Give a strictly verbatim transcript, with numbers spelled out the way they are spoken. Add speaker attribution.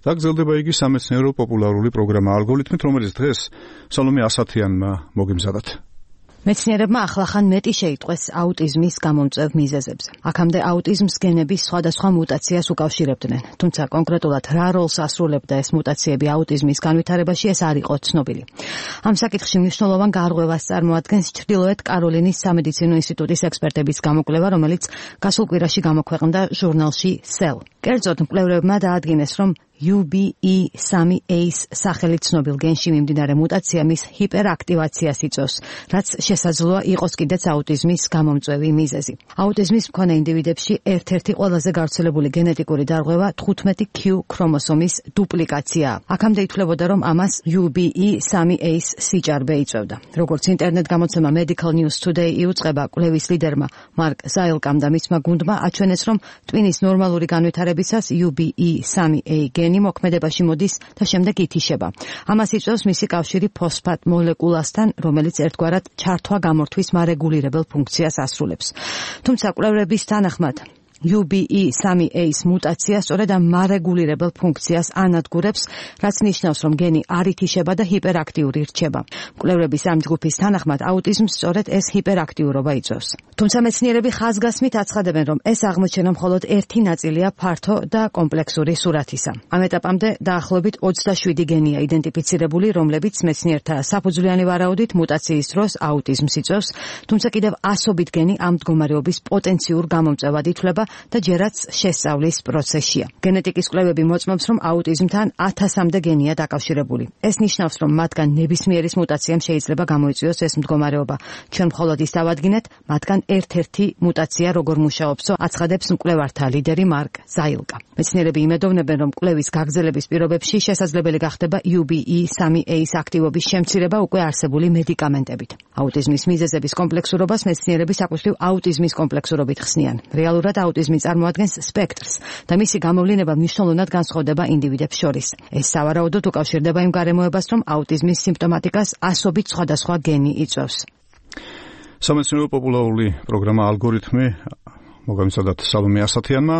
Speaker 1: და გრძელდება იგი სამეცნიერო პოპულარული პროგრამა ალგორითმით, რომელიც დღეს სალომე ასათიანმა მოგიმზადათ.
Speaker 2: მეცნიერებმა ახლახან მეტი შეიტყვეს აუტიზმის გამომწვევ მიზეზებზე. აქამდე აუტიზმს გენების სხვადასხვა მუტაციას უკავშირებდნენ, თუმცა კონკრეტულად რა როლს ასრულებდა ეს მუტაციები აუტიზმის განვითარებაში, ეს არ იყო ცნობილი. ამ საკითხში მნიშვნელოვან გარღვევას წარმოადგენს ჩრდილოეთ კაროლინის სამედიცინო ინსტიტუტის ექსპერტების გამოკვლევა, რომელიც გასულ კვირაში გამოქვეყნდა ჟურნალში Cell. კერძოდ, მკვლევრებმა დაადგინეს, რომ U B E three A-ს სახელით ცნობილ გენში მიმდინარე მუტაცია მის ჰიპერაქტივაციას იწვევს, რაც შესაძლოა იყოს კიდეც აუტიზმის გამომწვევი მიზეზი. აუტიზმის მქონე ინდივიდებში ერთ-ერთი ყველაზე გავრცელებული გენეტიკური დარღვევა თხუთმეტი Q ქრომოსომის დუპლიკაციაა. აქამდე ითვლებოდა, რომ ამას U B E three A-ს სიჭარბე იწვევდა. როგორც ინტერნეტ გამოცემა Medical News Today იუწყება, კვლევის ლიდერმა მარკ ზაილკამ და მისმა გუნდმა აჩვენეს, რომ ტვინის ნორმალური განვითარებისას U B E three A გენი მოქმედებაში მოდის და შემდეგ ითიშება. ამას იწვევს მისი კავშირი ფოსფატ მოლეკულასთან, რომელიც ერთგვარად ჩართვა-გამორთვის მარეგულირებელ ფუნქციას ასრულებს. თუმცა კვლევრების თანახმად U B E three A-ს მუტაცია სწორედ ამ მარეგულირებელ ფუნქციას ანადგურებს, რაც ნიშნავს, რომ გენი არ ითიშება და ჰიპერაქტიური რჩება. მკვლევრების ამ ჯგუფის თანახმად აუტიზმს სწორედ ეს ჰიპერაქტიურობა იწვევს. თუმცა მეცნიერები ხაზგასმით აცხადებენ, რომ ეს აღმოჩენა მხოლოდ ერთი ნაწილია ფართო და კომპლექსური სურათისა. ამ ეტაპამდე დაახლოებით ოცდაშვიდი გენია იდენტიფიცირებული, რომლებიც მეცნიერთა საფუძვლიანი ვარაუდით მუტაციის დროს აუტიზმს იწვევს, თუმცა კიდევ ასობით გენი ამ მდგომარეობის პოტენციურ გამომწვევად ითვლება და ჯერაც შესწავლის პროცესია. გენეტიკის კვლევები მოწმობს, რომ აუტიზმთან ათასამდე გენია დაკავშირებული. ეს ნიშნავს, რომ მათგან ნებისმიერის მუტაციამ შეიძლება გამოიწვიოს ეს მდგომარეობა. ჩვენ მხოლოდ ის დავადგინეთ, მათგან ერთ-ერთი მუტაცია როგორ მუშაობსო, აცხადებს მკვლევართა ლიდერი მარკ ზაილკა. მეცნიერები იმედოვნებენ, რომ კვლევის გაგრძელების პირობებში შესაძლებელი გახდება U B E three A-ს აქტივობის შემცირება უკვე არსებული მედიკამენტებით. აუტიზმის მიზეზების კომპლექსურობას მეცნიერები საკუთრივ აუტიზმის კომპლექსურობით ხსნიან. რეალურად აუტიზმი წარმოადგენს სპექტრს და მისი გამოვლინება მნიშვნელოვნად განსხვავდება ინდივიდებს შორის. ეს სავარაუდოდ უკავშირდება იმ გარემოებას, რომ აუტიზმის სიმპტომატიკას ასობით სხვადასხვა გენი იწვევს.
Speaker 1: სამეცნიერო პოპულარული პროგრამა ალგორითმი მოგამზადათ სალომე ასათიანმა.